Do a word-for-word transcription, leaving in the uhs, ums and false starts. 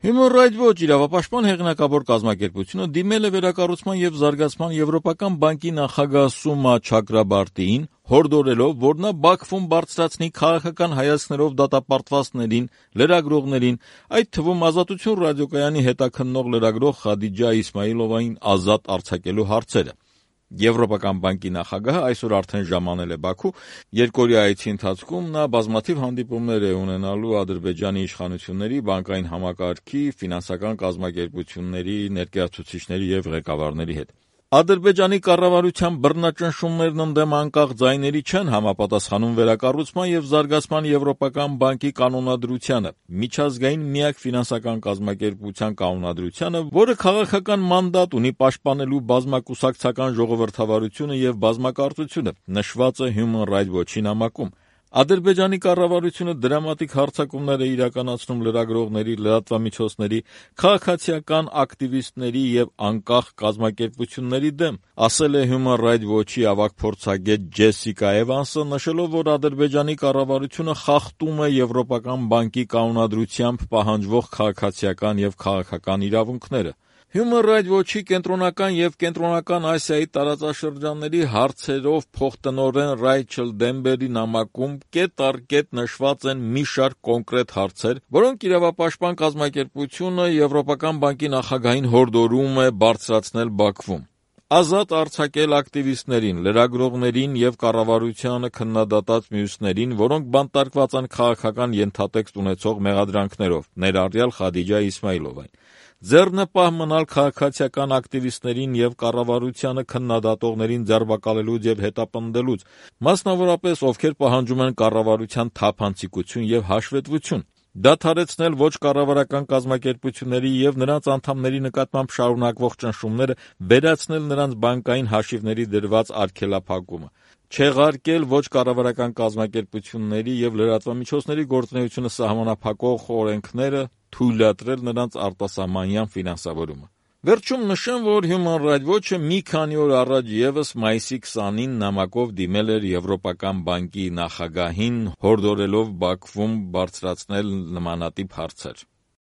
Human Rights Watch իրավապաշտպան հեղինակավոր կազմակերպությունը դիմել է վերակառուցման եւ զարգացման Եվրոպական բանկի նախագահ Սումա Չակրաբարտիին, հորդորելով, որ նա Բաքվում բարձրացնի քաղաքական հայացքներով դատապարտվածներին, լրագրողներին, այդ թվում Ազատություն ռադիոկայանի հետաքննող լրագրող Խադիջա Իսմայիլովային ազատ արձակելու հարցերը։ Եվրոպական բանկի նախագահը այսօր արդեն ժամանել է Բաքու, երկօրյա այցի ընթացքում նա բազմաթիվ հանդիպումներ է ունենալու Ադրբեջանի իշխանությունների, բանկային համակարգի, ֆինանսական կազմակերպությունների, ներկայացուցիչների եւ ղեկավարների հետ։ Ադրբեջանի կառավարության բռնաճնշումներն ընդդեմ անկախ ձայների չեն համապատասխանում վերակառուցման եւ զարգացման Եվրոպական բանկի կանոնադրությանը, միջազգային միակ ֆինանսական կազմակերպության կանոնադրությանը, որը քաղաքական մանդատ ունի պաշտպանելու բազմակուսակցական ժողովրդավարությունը եւ բազմակարծությունը, նշված է Human Rights Watch-ի նամակում։ Ադրբեջանի կառավարությունը դրամատիկ հարձակումներ է իրականացնում լրագրողների, լրատվամիջոցների, քաղաքացիական ակտիվիստների եւ անկախ կազմակերպությունների դեմ, ասել է Human Rights Watch-ի ավագ փորձագետ Ջեսիկա Էվանսը, նշելով, որ Ադրբեջանի կառավարությունը խախտում է Եվրոպական բանկի կանոնադրությամբ պահանջվող քաղաքացիական եւ քաղաքական իրավունքները։ Human Rights Watch-ի կենտրոնական եւ կենտրոնական Ասիայի տարածաշրջանների հարցերով փոխտնօրեն Ռայչել Դեմբերի նամակում կետ առ կետ նշված են մի շարք կոնկրետ հարցեր, որոնք իրավապաշտպան կազմակերպությունը Եվրոպական բանկի նախագահին հորդորում է բարձրացնել Բաքվում։ Ազատ արձակել ակտիվիստներին, լրագրողներին եւ կառավարությանը քննադատած մյուսներին, որոնք բանտարկված են քաղաքական ենթատեքստ ունեցող մեղադրանքներով, ներառյալ Խադիջա Իսմայիլովային։ Ձեռնպահ մնալ քաղաքացիական ակտիվիստներին եւ կառավարությանը քննադատողներին ձերբակալելուց եւ հետապնդելուց, մասնավորապես ովքեր պահանջում են կառավարության թափանցիկություն եւ հաշվետվություն, դադարեցնել ոչ կառավարական կազմակերպությունների եւ նրանց անդամների նկատմամբ շարունակվող ճնշումները, վերացնել նրանց բանկային հաշիվների դրված արգելափակումը, չեղարկել ոչ կառավարական կազմակերպությունների եւ լրատվամիջոցների գործունեությունը սահմանափակող օրենքները, թույլատրել նրանց արտասահմանյան ֆինանսավորումը։ Վերջում նշեմ, որ Human Rights Watch-ը մի քանի օր առաջ եւս մայիսի քսանին նամակով դիմել էր Եվրոպական բանկի նախագահին, հորդորելով Բաքվում բարձրացնել նմանատիպ հարցեր։